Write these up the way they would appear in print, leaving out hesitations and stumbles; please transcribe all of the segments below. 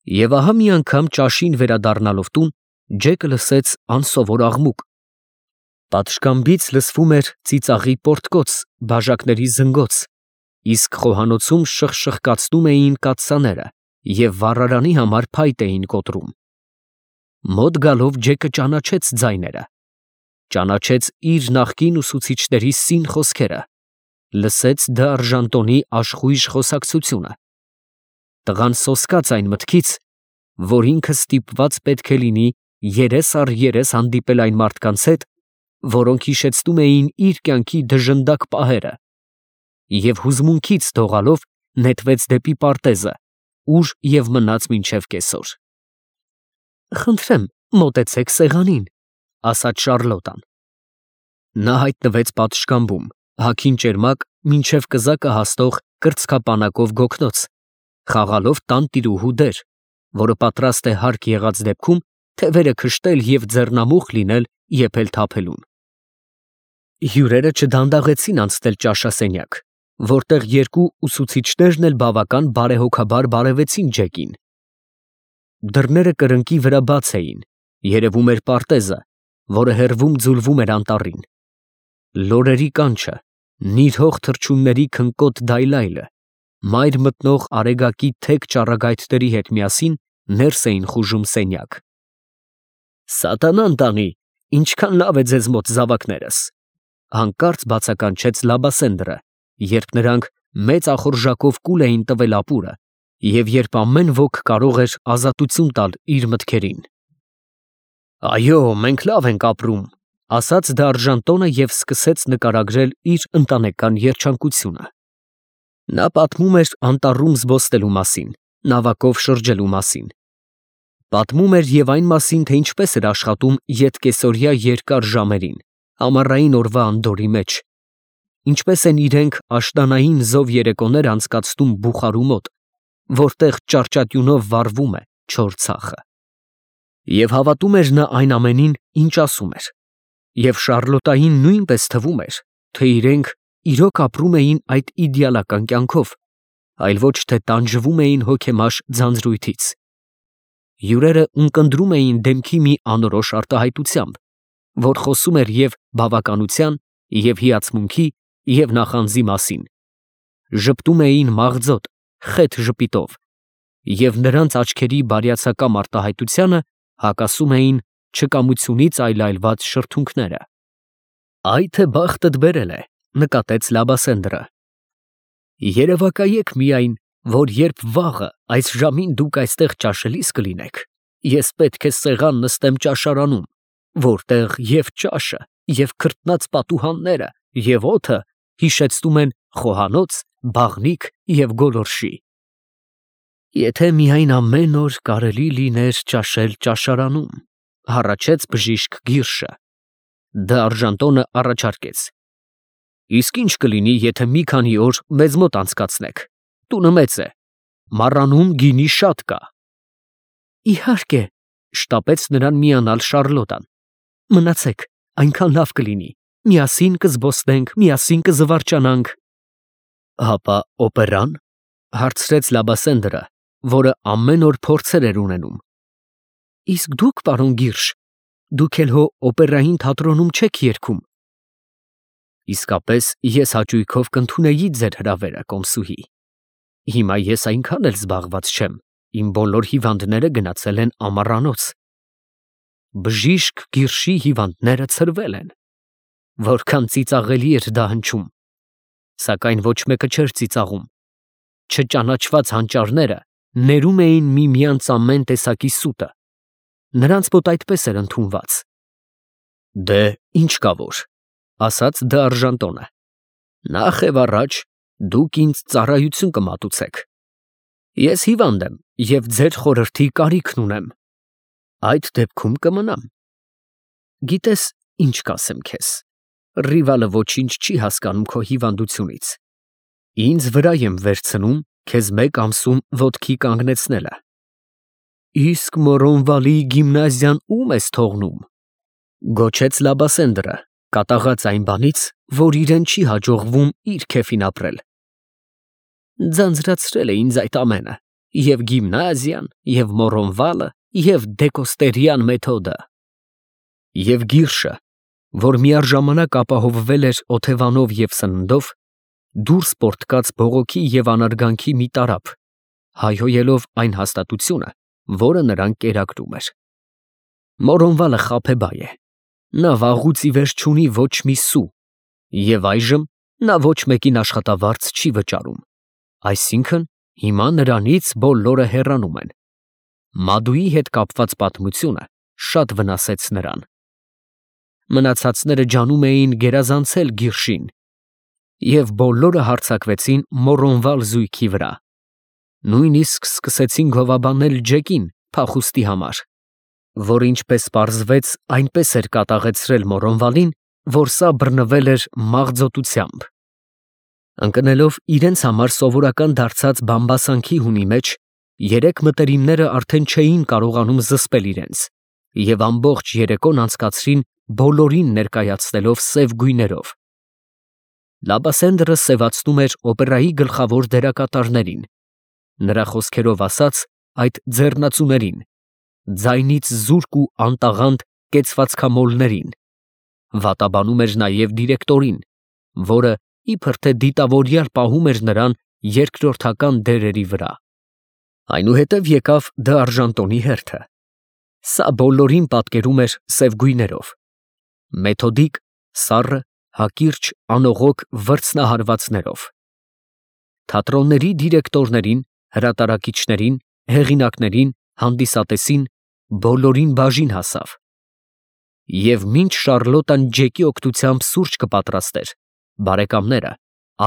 Եվ ահա մի անգամ ճաշին վերադառնալով տուն, Ջեկը լսեց անսովոր աղմուկ. պատշգամբից լսվում էր ծիծաղի պոռթկոց, բաժակների զնգոց, իսկ խոհանոցում շխշխկացնում էին կաթսաները և վառարանի համար փայտ էին կոտրում։ Մոտ գալով Ջեկը ճանաչեց ձայները, ճանաչեց իր նախկին ուսուցիչների սին խոսքերը, լսեց դարժանտոնի աշխույժ խոսակցությունը։ Տղան սոսկաց այն մտքից, որ ինքը ստիպված պետք է լինի երես առ երես հանդիպել այն մարդկանց հետ, որոնք հիշեցնում էին իր կյանքի դժնդակ պահերը, և հուզմունքից դողալով նետվեց դեպի պարտեզը, ուր և մնաց մինչև կեսօր։ «Խնդրեմ, մոտեցեք սեղանին», ֊ ասաց Շառլոտան։ Նա հայտնվեց պատշգամբում, հագին ճերմակ մինչև կզակը հասնող կրծքապանակով գոգնոց, խաղալով տանտիրուհու դեր, որը պատրաստ է հարկ եղած դեպքում թևերը քշտել և ձեռնամուխ լինել եփել֊թափելուն։ Հյուրերը չդանդաղեցին անցնել ճաշասենյակ, որտեղ երկու ուսուցիչներն էլ բավական բարեհոգաբար բարևեցին Ջեկին։ Դռները կրկնակի վրա բաց էին, երևում էր պարտեզը, որը հեռվում ձուլվում էր անտառին։ Լորերի կանչը, նիրհող թռչունների քնկոտ դայլայլը, մայր մտնող արեգակի թեք ճառագայթների հետ միասին ներս էին խուժում սենյակ։ «Սատանան տանի, ինչքան լավ է ձեզ մոտ, զավակներս», ֊ հանկարծ բացականչեց Լաբասենդրը, երբ նրանք մեծ ախորժակով կուլ էին տվել ապուրը, և երբ ամեն ոք կարող էր ազատություն տալ իր մտքերին։ «Այո, մենք լավ ենք ապրում», ֊ ասաց դարժանտոնը և սկսեց նկարագրել իր ընտանեկան երջանկությունը։ Նա պատմում էր անտառում զբոսնելու մասին, նավակով շրջելու մասին։ Պատմում էր և այն մասին, թե ինչպես էր աշխատում ետկեսօրյա երկար ժամերին, ամառային օրվա անդորրի մեջ, ինչպես են իրենք աշնանային զով երեկոներ անցկացնում բուխարու մոտ, որտեղ ճարճատյունով վառվում է չոր ցախը։ Եվ հավատում էր նա այն ամենին, ինչ ասում էր, և Շառլոտային նույնպես թվում էր, թե իրենք իրոք ապրում էին այդ իդեալական կյանքով, այլ ոչ թե տանջվում էին հոգեմաշ ձանձրույթից։ Հյուրերը ունկնդրում էին դեմքի մի անորոշ արտահայտությամբ, որ խոսում էր և բավականության, և հիացմունքի, և նախանձի մասին, ժպտում էին մաղձոտ, խեթ ժպիտով, և նրանց աչքերի բարյացակամ արտահայտությանը հակասում էին չկամությունից այլայլված շրթունքները։ «Այ թե բախտդ բերել է», ֊ նկատեց Լաբասենդրը։ «Երևակայեք միայն, որ երբ վաղը այս ժամին դուք այստեղ ճաշելիս կլինեք, ես պետք է սեղան նստեմ ճաշարանում, որտեղ և ճաշը, և քրտնած պատուհանները, և օդը հիշեցնում են խոհանոց, բաղնիք և գոլորշի։ Եթե միայն ամեն օր կարելի լիներ ճաշել ճաշարանում», ֊ հառաչեց բժիշկ Գիրշը։ Դարժանտոնը առաջարկեց. «Իսկ ի՞նչ կլինի, եթե մի քանի օր մեզ մոտ անցկացնեք, տունը մեծ է, մառանում գինի շատ կա»։ «Իհարկե», ֊ շտապեց նրան միանալ Շառլոտան, «մնացեք, այնքան լավ կլինի, միասին կզբոսնենք, միասին կզվարճանանք»։ «Հապա օպերան», ֊ հարցրեց Լաբասենդրը, որը ամեն օր փորձեր էր ունենում։ «Իսկ դուք, պարոն Գիրշ, դուք էլ հո օպերային թատրոնում չեք երգում»։ «Իսկապես ես հաճույքով կընդունեի ձեր հրավերը, կոմսուհի։ Հիմա ես այնքան էլ զբաղված չեմ, իմ բոլոր հիվանդները գնացել են ամառանոց»։ Բժիշկ Գիրշի հիվանդները ցրվել են։ Որքան ծիծաղելի էր դա հնչում։ Սակայն ոչ մեկը չէր ծիծաղում։ Չճանաչված հանճարները ներում էին միմյանց ամեն տեսակի սուտը։ Նրանց մոտ այդպես էր ընդունված։ «Դե, ինչ կա որ», ֊ ասաց դարժանտոնը, «նախ և առաջ դուք ինձ ծառայություն կմատուցեք։ Ես հիվանդ եմ և ձեր խորհրդի կարիքն ունեմ։ Այդ դեպքում կմնամ։ Գիտես, ինչ կասեմ քեզ, Ռիվալը ոչինչ չի հասկանում քո հիվանդությունից։ Ինձ վրա եմ վերցնում քեզ մեկ ամսում ոտքի կանգնեցնելը։ Իսկ Մորոնվալի գիմնազիան ո՞ւմ ես թողնում», ֊ գոչեց Լաբասենդրը, կատաղած այն բանից, որ իրեն չի հաջողվում իր քեֆին ապրել։ «Ձանձրացրել է ինձ այդ ամենը», Եվ գիմնազիան, և մորոնվալը, և դեկոստերյան մեթոդը։ Եվ Գիրշը, որ միառժամանակ ապահովվել էր օթևանով և սննդով, դուրս պոռթկաց բողոքի և անարգանքի մի տարափ, հայհոյելով այն հաստատությունը, որը նրան կերակրում էր։ Մորոնվալը խաբեբայ է, նա վաղուց ի վեր չունի ոչ մի սու, և այժմ նա ոչ մեկին աշխատավարձ չի վճարում, այսինքն հիմա նրանից բոլորը հեռանում են։ Մադուի հետ կապված պատմությունը շատ վնասեց նրան։ Մնացածները ջանում էին գերազանցել Գիրշին, և բոլորը հարձակվեցին Մորոնվալ զույգի վրա։ Նույնիսկ սկսեցին գովաբանել Ջեկին փախուստի համար, որ ինչպես պարզվեց, այնպես էր կատաղեցրել Մորոնվալին, որ սա բռնվել էր մաղձոտությամբ։ Ընկնելով իրենց համար սովորական դարձած բամբասանքի հունի մեջ, երեք մտերիմները արդեն չէին կարողանում զսպել իրենց և ամբողջ երեկոն անցկացրին բոլորին ներկայացնելով սև գույներով։ Լաբասենդրը սևացնում էր օպերայի գլխավոր դերակատարներին, նրա խոսքերով ասած, այդ ձեռնածուներին, ձայնից զուրկ ու անտաղանդ կեցվածքամոլներին, վատաբանում էր նաև դիրեկտորին, որը իբր թե դիտավորյալ պահում էր նրան երկրորդական դերերի վրա։ Այնուհետև եկավ դ'Արժանտոնի հերթը։ Սա բոլորին պատկերում էր սև գույներով, մեթոդիկ, սառը, հակիրճ, անողոք վրձնահարվածներով։ Թատրոնների դիրեկտորներին, հրատարակիչներին, հեղինակներին, հանդիսատեսին, բոլորին բաժին հասավ։ Եվ մինչ Շառլոտան Ջեկի օգնությամբ սուրճ կպատրաստեր, բարեկամները,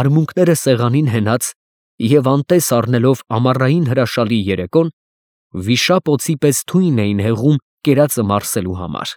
արմունկները սեղանին հենած և անտես առնելով ամառային հրաշալի երեկոն, վիշապ օձի պես թույն էին հեղում կերածը մարսելու համար։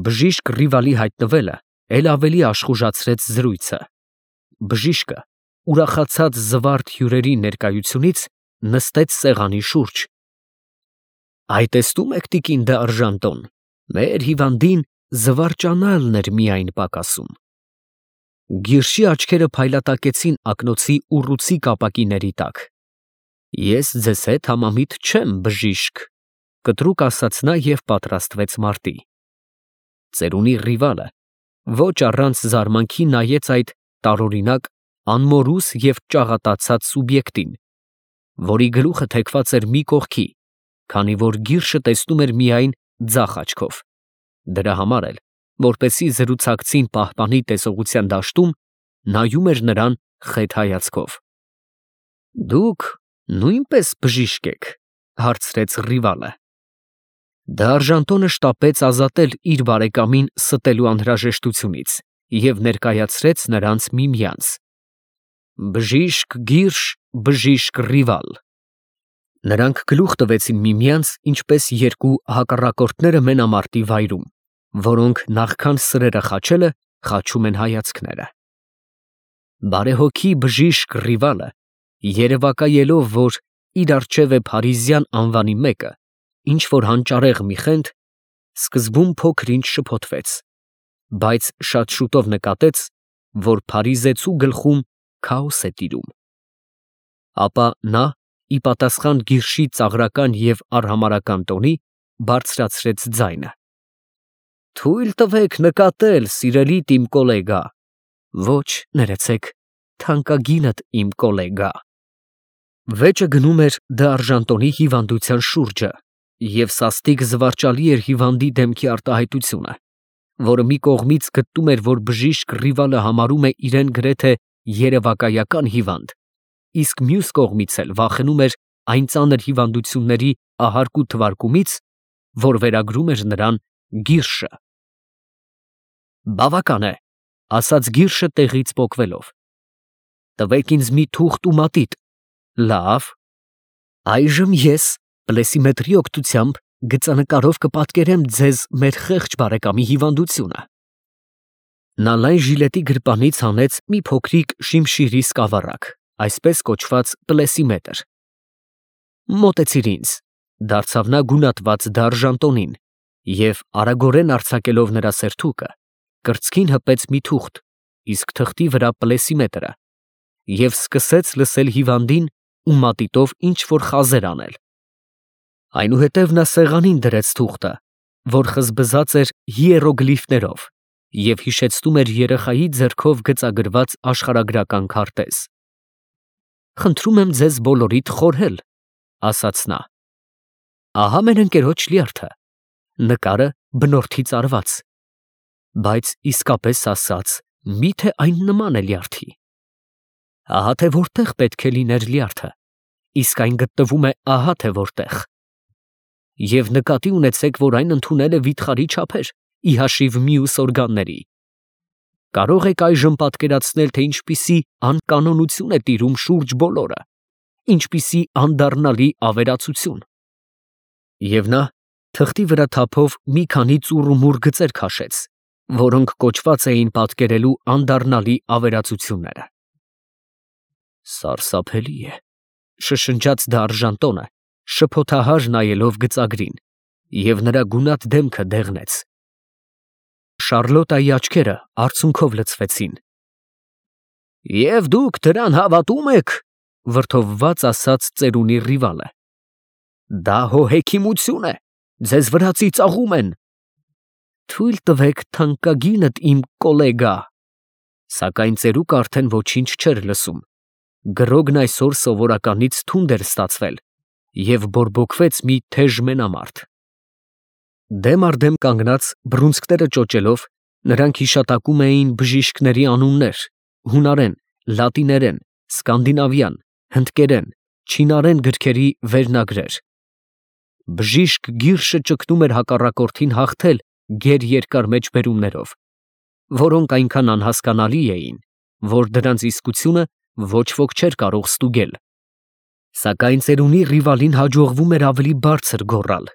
Բժիշկ Ռիվալի հայտնվելը էլ ավելի աշխուժացրեց զրույցը։ Բժիշկը, ուրախացած զվարթ հյուրերի ներկայությունից, նստեց սեղանի շուրջ։ «Այ տեսնում եք, տիկին դ'Արժանտոն, մեր հիվանդին զվարճանալն էր միայն պակասում»։ Գիրշի աչքերը փայլատակեցին ակնոցի ուռուցիկ ապակիների տակ։ «Ես ձեզ հետ համամիտ չեմ, բժիշկ», կտրուկ ասաց նա և պատրաստվեց մարտի։ Ծերունի Ռիվալը ոչ առանց զարմանքի նայեց այդ տարօրինակ, անմորուս և ճաղատացած սուբյեկտին, որի գլուխը թեքված էր մի կողքի, քանի որ Գիրշը տեսնում էր միայն ձախ աչքով։ Դրա համար էլ, որպեսզի զրուցակցին պահպանի տեսողության դաշտում, նայում էր նրան խետ հայացքով։ «Դուք նույնպես բժիշկ եք», հարցրեց Ռիվալը։ Դ'Արժանտոնը շտապեց ազատել իր բարեկամին ստելու անհրաժեշտությունից և ներկայացրեց նրանց միմյանց. «Բժիշկ Գիրշ, բժիշկ Ռիվալ»։ Նրանք գլուխ տվեցին միմյանց, ինչպես երկու հակառակորդները մենամարտի վայրում, որոնք նախքան սրերը խաչելը, խաչում են հայացքները։ Բարեհոգի բժիշկ Ռիվալը, երևակայելով, որ իր առջև է փարիզյան անվանի մեկը, ինչ֊որ հանճարեղ մի խենթ, սկզբում փոքր֊ինչ շփոթվեց, բայց շատ շուտով նկատեց, որ փարիզեցու գլխում քաոս է տիրում։ Ապա նա, ի պատասխան Գիրշի ծաղրական և արհամարհական տոնի, բարձրացրեց ձայնը. «Թույլ տվեք նկատել, սիրելիդ իմ կոլեգա»։ «Ոչ, ներեցեք, թանկագինդ իմ կոլեգա»։ Վեճը գնում էր դ'Արժանտոնի հիվանդության շուրջը, և սաստիկ զվարճալի էր հիվանդի դեմքի արտահայտությունը, որը մի կողմից գտնում էր, որ բժիշկ Ռիվալը համարում է իրեն գրեթե երևակայական հիվանդ, իսկ մյուս կողմից էլ վախենում էր այն ծանր հիվանդությունների ահարկու թվարկումից, որ վերագրում էր նրան Գիրշը։ «Բավական է», ասաց Գիրշը տեղից պոկվելով։ «Տվեք ինձ մի թուղթ ու մատիտ»։ «Լավ, այժմ ես պլեսիմետրի օգնությամբ գծանկարով կպատկերեմ ձեզ մեր խեղճ բարեկամի հիվանդությունը»։ Նա լայն ժիլետի գրպանից հանեց մի փոքրիկ շիմշիրի սկավառակ, այսպես կոչված պլեսիմետր։ «Մոտեցիր ինձ», դարձավ նա գունատված դ'Արժանտոնին և, արագորեն արձակելով նրա սերթուկը, կրծքին հպեց մի թուղթ, իսկ թղթի վրա պլեսիմետրը, և սկսեց լսել հիվանդին ու մատիտով ինչ-որ խազեր անել։ Այնուհետև նա սեղանին դրեց թուղթը, որ խզբզած էր հիերոգլիֆներով և հիշեցնում էր երեխայի ձեռքով գծագրված աշխարհագրական քարտեզ։ «Խնդրում եմ ձեզ բոլորիդ խորհել», ասաց նա։ «Ահա մեր ընկերոջ լյարդը, նկարը բնորդից արված, բայց իսկապես ասած, մի՞թե այն նման է լյարդի։ Ահա թե որտեղ պետք է լիներ լյարդը, իսկ այն գտնվում է ահա թե որտեղ։ Եվ նկատի ունեցեք, որ այն ընդունել է վիթխարի չափեր, ի հաշիվ մյուս օրգանների։ Կարող եք այժմ պատկերացնել, թե ինչպիսի անկանոնություն է տիրում շուրջ բոլորը, ինչպիսի անդառնալի ավերածություն»։ Եվ նա թղթի վրա թափով մի քանի ծուռումուռ գծեր քաշեց, որոնք կոչված էին պատկերելու անդառնալի ավերածությունները։ «Սարսափելի է», շշնջաց դարժան տոնը, շփոթահար նայելով գծագրին, և նրա գունատ դեմքը դեղնեց։ Շարլոտայի աչքերը արցունքով լցվեցին։ «Եվ դուք դրան հավատում եք», վրդովված ասաց ծերունի Ռիվալը։ «Դա հո հեքիմություն է, ձեզ վրացի ծաղում են»։ «Թույլ տվեք թանկագինդ իմ կոլեգա», սակայն ծերուկը արդեն ոչինչ չէր լսում։ Գրոգն այսօր սովորականից թունդ էր ստացվել և բորբոքվեց մի թեժ մենամարտ։ Դեմ առ դեմ կանգնած, բռունցքները ճոճելով, նրանք հիշատակում էին բժիշկների անուններ, հունարեն, լատիներեն, սկանդինավյան, հնդկերեն, չինարեն գրքերի վերնագրեր։ Բժիշկ Գիրշը ճգնում էր հակառակորդին հաղթել գերերկար մեջբերումներով, որոնք այնքան անհասկանալի էին, որ դրանց իսկությունը ոչ ոք չէր կարող ստուգել։ Սակայն ծերունի Ռիվալին հաջողվում էր ավելի բարձր գոռալ։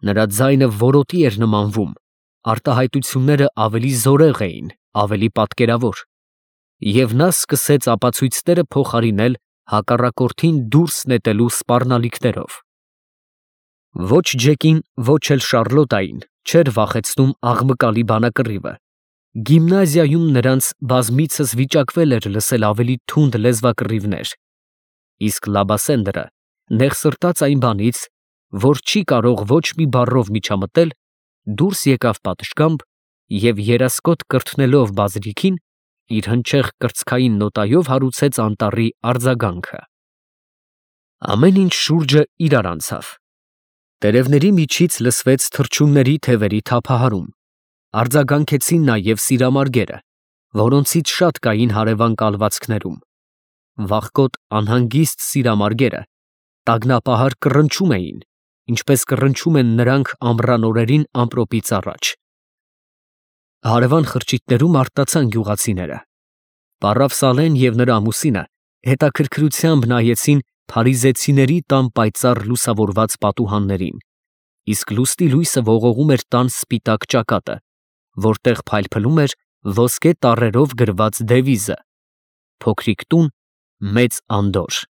Նրա ձայնը որոտի էր նմանվում, արտահայտությունները ավելի զորեղ էին, ավելի պատկերավոր, և նա սկսեց ապացույցները փոխարինել հակառակորդին դուրս նետելու սպառնալիքներով։ Ոչ Ջեկին, ոչ էլ Շարլոտային չէր վախեցնում աղմկալի բանակռիվը։ Գիմնազիայում նրանց բազմիցս վիճակվել էր լսել ավելի թունդ լեզվակռիվներ, իսկ Լաբասենդրը նեղսրտած այն բանից, որ չի կարող ոչ մի բառով միջամտել, դուրս եկավ պատշգամբ և երասկոտ կրթնելով բազրիքին, իր հնչեղ կրծքային նոտայով հարուցեց անտառի արձագանքը։ Ամեն ինչ շուրջը իրար անցավ։ Տերևների միջից լսվեց թռչունների թևերի թափահարում, արձագանքեցին նաև սիրամարգերը, որոնցից շատ կային հարևան կալվածքներում։ Վախկոտ անհանգիստ սիրամարգերը տագնապահար կռնչում էին, ինչպես կռնչում են նրանք ամռան օրերին ամպրոպից առաջ։ Հարևան խրճիթներում արթնացան գյուղացիները։ Պառավ Սալեն և նրա ամուսինը հետաքրքրությամբ նայեցին փարիզեցիների տան պայծառ լուսավորված պատուհաններին, իսկ լուսնի լույսը ողողում էր տան սպիտակ ճակատը, որտեղ փայլփլում էր ոսկե տառերով գրված դևիզը. «Փոքրիկ տուն, մեծ անդորր»։